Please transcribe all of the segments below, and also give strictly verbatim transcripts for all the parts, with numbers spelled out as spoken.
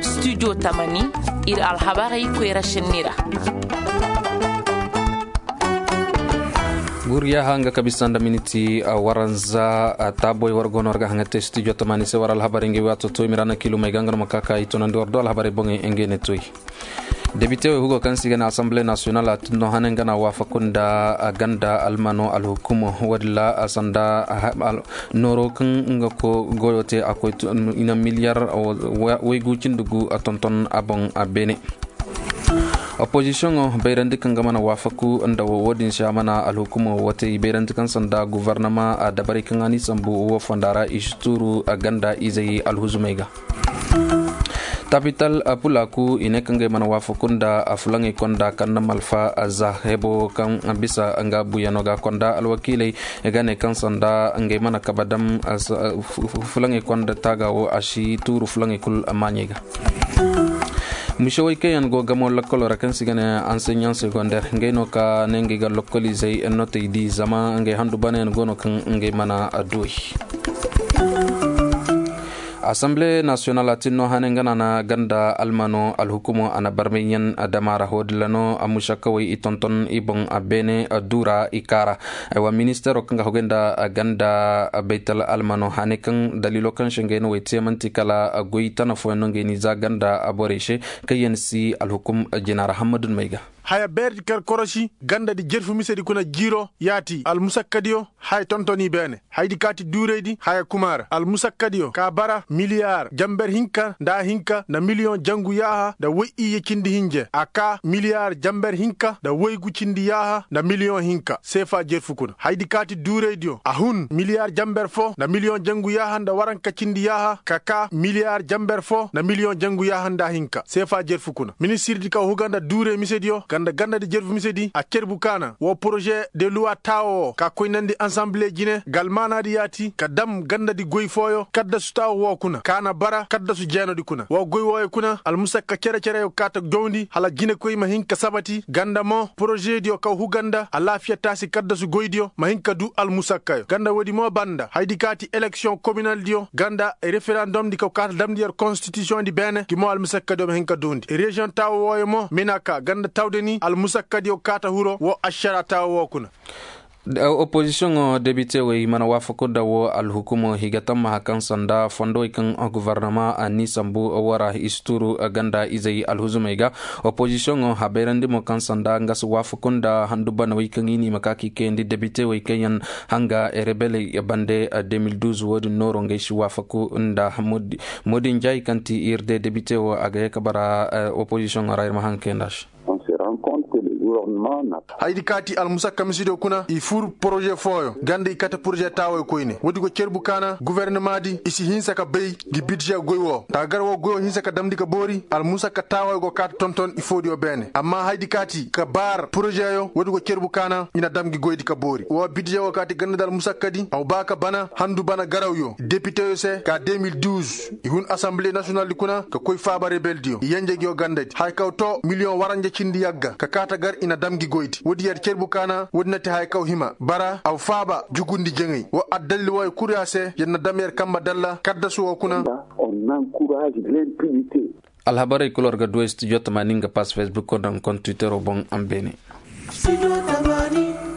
Studio tamani, ir alhabarey koyra šenni ra. Guryaha nga ka bisa nda miniti waranza. Taaboy war go no war ga haŋa te studio tamani se war alhabarey nga wi a to toy mirana kilumey ga nga no ma ka ka i tonandi war do alhabarey boŋey nga ne toy. Debite wey hugo kaŋ se i ga ne assemble national a tinno hane nga na waafaku nda ganda almano alhukumo wo-din ra sanda nooro kaŋ nga goyo te a koy i na miliyar waygu cindi gu tonton a boŋ. Beene opozisiyoŋo bayrandi kaŋ ga mana waafaku nda wo wo-din se a mana alhukumo wo te i bayrandi kaŋ sanda guvarnama dabarey kaŋ a n'i sambu wo fonda ra i si tuuru ganda izey alhuzumey ga. Tapital pulaaku i ne kaŋ ga ay mana waafaku nda fulaŋey konda kaŋ na malfa za hebo kaŋ bisa nga buyano ga konda alwakiiley ga ne kaŋ sanda nga ay mana kabe dam fulaŋey konda taaga wo a si tuuru fulaŋey kul maaɲey ga. Mise wey kaŋ yaŋ go gamo lokkoloo ra kaŋ se i ga ne anseɲaŋ segonder nga ay no ka ne nga ay ga lokkoliizey notey di zama nga ay handu bana yaŋ go no kaŋ nga ay mana duwey. Asamble nasiyonal a tin no hane nga na na ganda almano alhukumo a na barmay yaŋ dama ra hodilla no a musakkawey i tonton i boŋ a beene duura i kaara. Aywa ministeero kaŋ ga hogay nda ganda baytal almano hane kaŋ daliilo kaŋ se ngey no wey te man'ti kala goy tana fooyaŋ no ngey n'i za ganda borey se kaŋ yaŋ si alhukum jina ra hammadun may ga. Haya beerdi kar korosi gandadi jerfu misedi kuna jiiro yaati almusakkadiyo. Haya tontoni beene haydi kaati duuraydi haya kumaara almusakkadiyo ka bara miliyaar jamber hinka nda hinka nda miliyoŋ jangu yaaha nda woy iyye cindi hinje a ka miliyaar jamber hinka nda woygu cindi yaaha nda miliyoŋ hinka seefa jerfu kuna haydi kaati duuraydiyo a hun miliyaar jamber fo nda miliyoŋ jangu yaaha nda waranka cindi yaaha ka ka miliyaar jamber fo nda miliyoŋ jangu yaaha nda hinka seefa jerfu kuna ministirdi ka huga nda duure misediyo ganda gandadi jerfu misedi a cerbu kaana woo poroze de luwa taawo woo ka koynandi ansanbile jine galmaanaadi yaati ka dam gandadi goy fooyo kaddasu taawo woo kuna kaana bara kaddasu jeenodi kuna woo goy wooyo kuna almusakka cere-cereyo kaata jowndi hala jinekoy ma hin ka sabati ganda mo porozediyo ka huga nda alaafiya taasi kaddasu goydiyo ma hin ka duu almusakkayo ganda woodi mo banda haydi kaati eleksiyoŋ kominaldiyo ganda referandomdi kaw kaata damndi yer konstitisiyoŋdi beene gi mo almusakkadiyo ma hin ka duundi reziyoŋ taawo wooyo mo mina ka ganda tawdani almusakkadiyo kaata huro woo ašara taawo woo kuna. Opozisiyoŋo debitewey mana waafaku nda woo alhukumo higa tammaha kaŋ sanda fondowey kaŋ guvarnama a n'i sambu woo ra i si tuuru ganda izey alhuzumey ga. Opozisiyoŋo habayrandi mo kaŋ sanda nga si waafaku nda handu banawey kaŋ i n'i ma ka k'i kayandi debitewey kaŋ yaŋ hanga rebeley bande de mil duuz woo din nooro ngey si waafaku nda moodin jaayi kaŋ ti ir de debite woo a ga ye ka bara. Opozisiyoŋo ra ir ma haŋ kayandi a se. Haydi kaati almusakka misidiyo kuna i fur poroze fooyo ganda i kate poroze taaway koyne woodi go cerbu kaana guvernamaadi i si hinsa ka bay ngi bidze goy woo nda gar woo goyo hinsa ka damndi ka boori almusakka taaway go kaata tonton i foodiyo beene amma haydi kaati ka baar porozeyo woodi go cerbu kaana i na dam ngi goydi ka boori woo bidze woo kaati ganda nda almusakkadi aw baa ka bana handu bana garawyo depiteyo se ka de mil duuz i hun asanbile nasiyonaldi kuna ka koy faaba rebeldiyo i yenje ngiyo gandadi haya kaw too miliyoŋ waranja cindi yagga ka kaata gar i na dam ngi goydi woodi yer cerbu kaana woodi na ti haya kaw hima bara aw faaba jugundi jeŋay woo addalil wooyo kul ya se yer na dam yer kambe dalla kaddasu woo kuna. Alhabarey kul war ga du ay studio tamaani nga pass facebook nda nga kontiwitero boŋ a ma beene.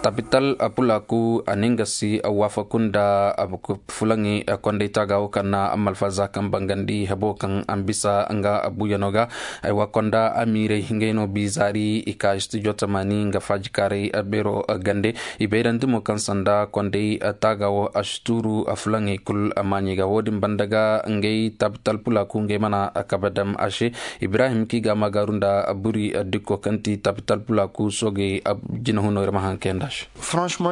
Tapital pulaaku a na nga si waafaku nda fulaŋey kondey taaga woo kaŋ na malfaza kaŋ bangandi hebo kaŋ a ma bisa nga buyano ga. Ay wa konda amiirey ngey no biizaari i ka studio tamaani nga faajikaaray beero gande i bayrandi mo kaŋ sanda kondey taaga woo a si tuuru fulaŋey kul maaɲey ga woo din banda ga ngey tapital pulaaku ngey mana kabe dam a se. Ibrahim k'i ga a maagaaru nda buri dikko kaŋ ti tapital pulaaku soogey jinahunoo ir ma haŋ kayandi a se.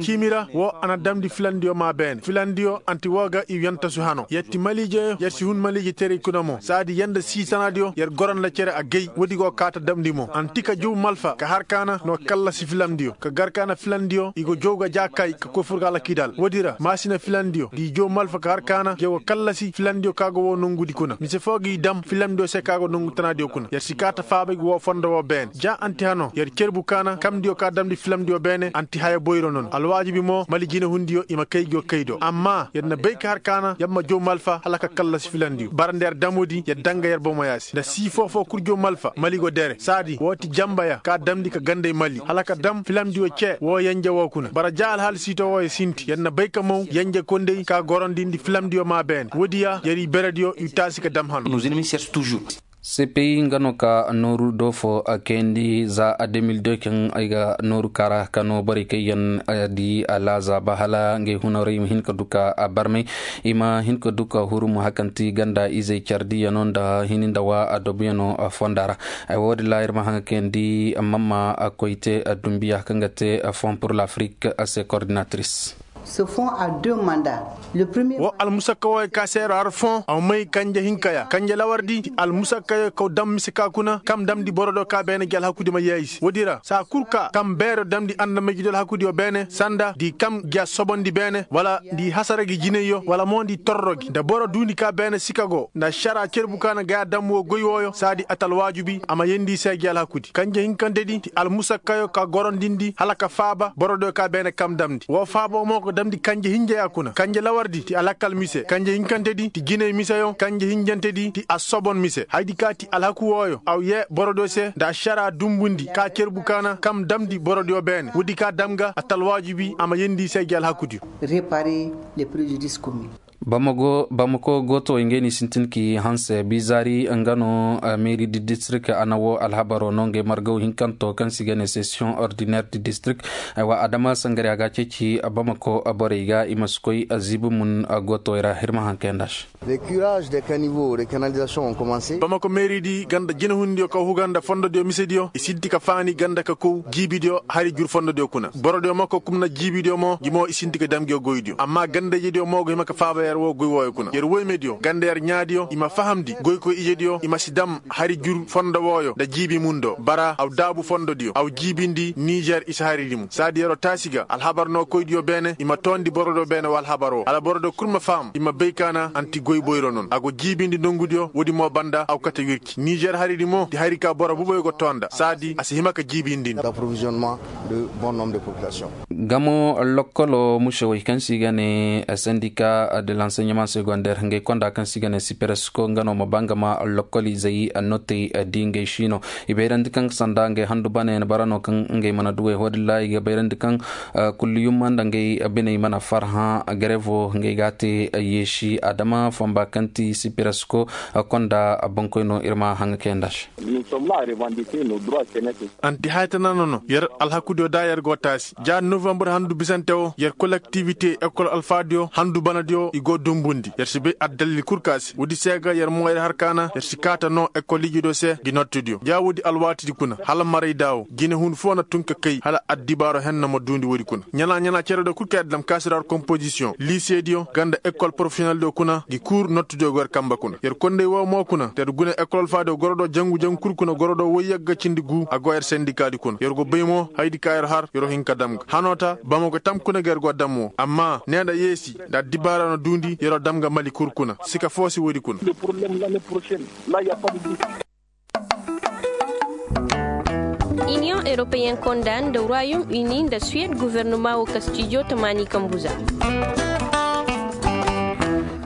Ciimi ra woo a na damndi filandiyo maa beene filandiyo anti woo ga i yantasu hano yer ti maliijeyo yer si hun maliije terey kuna mo saadi yer nda sii tanaadiyo yer goro nda cere agay woodi go kaata damndi mo anti ka jow malfa ka har kaana no kallasi filandiyo ka gar kaana filandiyo i go jow ga jaakay ka koy fur ga alakidal woodi ra maasina filandiyo ngi jow malfa ka har kaana jow ga kallasi filandiyo ka go woo nongudi kuna mise foo gi dam filandiyo se ka go nongu tanaadiyo kuna yer si kaata faabay gi woo fondo woo beene ja anti hano yer cerbu kaana kamdiyo ka damndi filandiyo beene anti haya Boyro no no alwaajibi mo mali jinehundiyo i ma kay go kay do amma yer na bay ka har kaana yer ma jow malfa hala ka kallasi filandiyo bara nda yer damudi yer daŋ ga yer bomoyaa se nda sii foo-foo kul jow malfa mali go dere saadi woo ti janbaya ka damndi ka ganday mali hala ka dam filandiyo cee woo yenje woo kuna bara ja alhaali siito wooyo sinti yer na bay ka maw yenje konday ka gorondindi filandiyo maa beene woodiya yer i berediyo i taasi ka dam hano. Sepeyi nga no ka nooru doofo kayandi za a de mil de kaŋ ay ga nooru kaara ka no borey kaŋ yaŋ di alaaza ba hala ngey hunaray ma hin ka du ka barmay i ma hin ka du ka huru ma hakanti ganda izey cardiyano nda hini nda wa adobiyano fonda ra. Ay wo- din ra ir ma haŋ kayandi mamma koyte dumbiya kaŋ ga te fond pour l'afrique se coordinatrice. Wo almusakka wooyo ka seero har fon a may kanje hinka ya kanje lawar di ti almusakka yo kaw dam mise ka kuna kam damndi boro do ka beene gi alhaku di ma yeeyi se woodi ra saa kul ka kam beero damndi andamay gi do alhaku diyo beene sanda di kam gi a sobondi beene wala di hasara gi jinay yo wala mo di torro gi nda boro duundi ka beene sika go nda ašara cerbu ka na gaya dam woo goy wooyo saa di a ti alwaajubi a ma yeendi i se gi alhaku di kanje hinkante di ti almusakka yo ka gorondindi hala ka faaba boro do ka beene kam damndi woo faaboo mo ga damndi kanje hinja ya kuna kanje lawar di ti alakkal mise kanje hinkante di ti jinay miseyo kanje hinjante di ti asobon mise hayadi ka ti alhaku wooyo aw yee boro do se nda ašara dumbundi ka cerbu ka na kam damndi boro diyo beene woodi ka dam ga a ti alwaajibi a ma yeendi i se gi alhaku diyo. Bamako gootowey ngey no i sintin k'i hanse bizaari nga no meeri di distirik a na woo alhabaro no ngey margaw hinkanto kaŋ se i ga ne sesiyoŋ ordiner di distirik. Aywa adama sangariya ga a ceeci bamako borey ga i ma si koy ziibi mun gootowey ra ir ma haŋ kayandi a se. Bamako meeri di ganda jinahundiyo kaw huga nda fondodiyo misediyo i sinti ka faani ganda ka kow jiibidiyo hari jur fondodiyo kuna borodiyo mo ka kumna jiibidiyo mo gi mo i sinti ka dam ngiyo goydiyo amma ganda ijediyo mo go hima ka faaba yer woo goy wooyo kuna yer woymediyo ganda yer ɲaadiyo i ma fahamndi goykoy ijediyo i ma si dam hari jur fondo wooyo nda jiibi mundo bara aw daabu fondodiyo aw jiibindi nizer i si hari dimu saadi yer'o taasi ga alhabar no koydiyo beene i ma toondi borodiyo beene woo alhabar woo hala borodiyo kul ma faham i ma bay ka na anti goy boyro non a go jiibindi nongudiyo woodi mo banda aw kate wirki nizer hari di mo di hari ka boro buboyo go too nda saadi a si hima ka jiibindi nda. Gamo lokkolo musewey kaŋ se i ga ne sendika de lanseɲaman segondeer ngey konda kaŋ se i ga ne siperesko nga no ma ba nga ma lokkolizey notey di ngey siino i bayrandi kaŋ sanda ngey handu bane na bara no kaŋ ngey mana duwey hodilla i ga bayrandi kaŋ kulliyumma nda ngey biney mana farhã garevo ngey ga a te yeesi adama fomba kaŋ ti siperesko konda bankoy no ir ma haŋa kayandi a se. Anti haytana no no yer alhakudiyo da yer go taasi ja novembre handu bisante wo yer kolektivite ekol alfaadiyo handu banadiyo i go dumbundi yer si bay addalil kul ka se woodi se ga yer mo yer har kaana yer si kaata no ekol ijidiyo se gi nottidiyo ja woodi alwaatidi kuna hala maray daawo jinehun foo na tun ka kay hala addibaaro henna ma duundi woodi kuna ɲana ɲana cerediyo kul ka yer dam kaasiraar kompozisiyoŋ liisediyo ganda ekol porofesiyoneldiyo kuna gi kuur nottidiyo go yer kamba kuna yer konday woo mo kuna te yer guna ekol alfaadiyo goro do jangu jangu kul kuna goro do woy yagga cindi guu a go yer sendikaadi kuna yer go bay mo hayadi ka yer har yer hin ka dam ga hanoo ta bamako tam kuna ga yer go dam woo amma nee nda yeesi nda addibaara no duundi yer o dam ga mali kul kuna sika foo si woodi kuna. Iniyoŋ eropeyen konda nda ruwayum ini nda suwed guvernuma woo kastijo tamaani kambuza.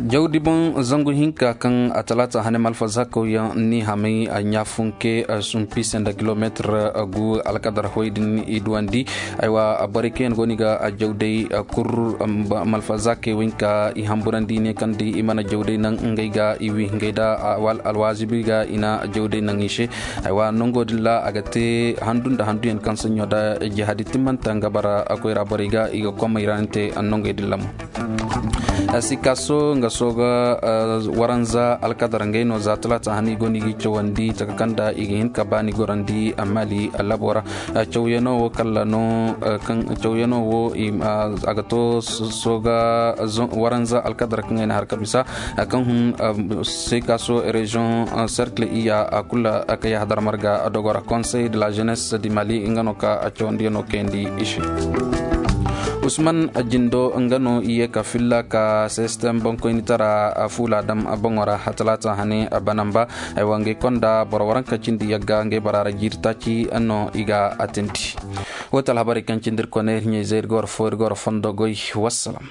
Jawdi boŋ zangu hinka kaŋ a talaata hane malfazakawyaŋ ni hamay a ɲaafunke sumpi se nda kilomeetir gu alkadar hoy din i duwandi. Aywa borey kaŋ yaŋ go ni ga jawday kur malfazakey wo hinka i hamburandi i ne kaŋ di i mana jawday naŋ ngey ga i wi ngey da alwazibi ga i na jawday naŋ i se. Aywa nango din ra a ga te handu nda handuyaŋ kaŋ saɲɲo da jihadi timmanta nga bara koyra borey ga i ga komay ra ni te nangey din ra mo. Sikaso nga sooga waranza alkadar ngey no za talaata hani go no i ga i cawandi taka kaŋ da i ga hin ka baani gorandi mali labo ra. Cawyano wo kala no kaŋ cawyano wo a ga to sooga waranza alkadar kaŋ ay na har ka bisa kaŋ hun sikaso reziyoŋ serkile iya kula ka yahadar marga dogora konsey de la jeunesse di mali nga no ka cawandiyano kayandi i se. Usman jindo nga no i ye ka filla ka sistem bankoynitara fuula dam boŋo ra. Talaata hane a banamba ay wa ngey konda boro waranka cindi yagga ngey bara ra jiiri taaci no i ga a tindi. Wo ti alhabarey kaŋ cindi ir kone ir ɲey zey ir ga war fo ir ga war fondo goy. Wassalam.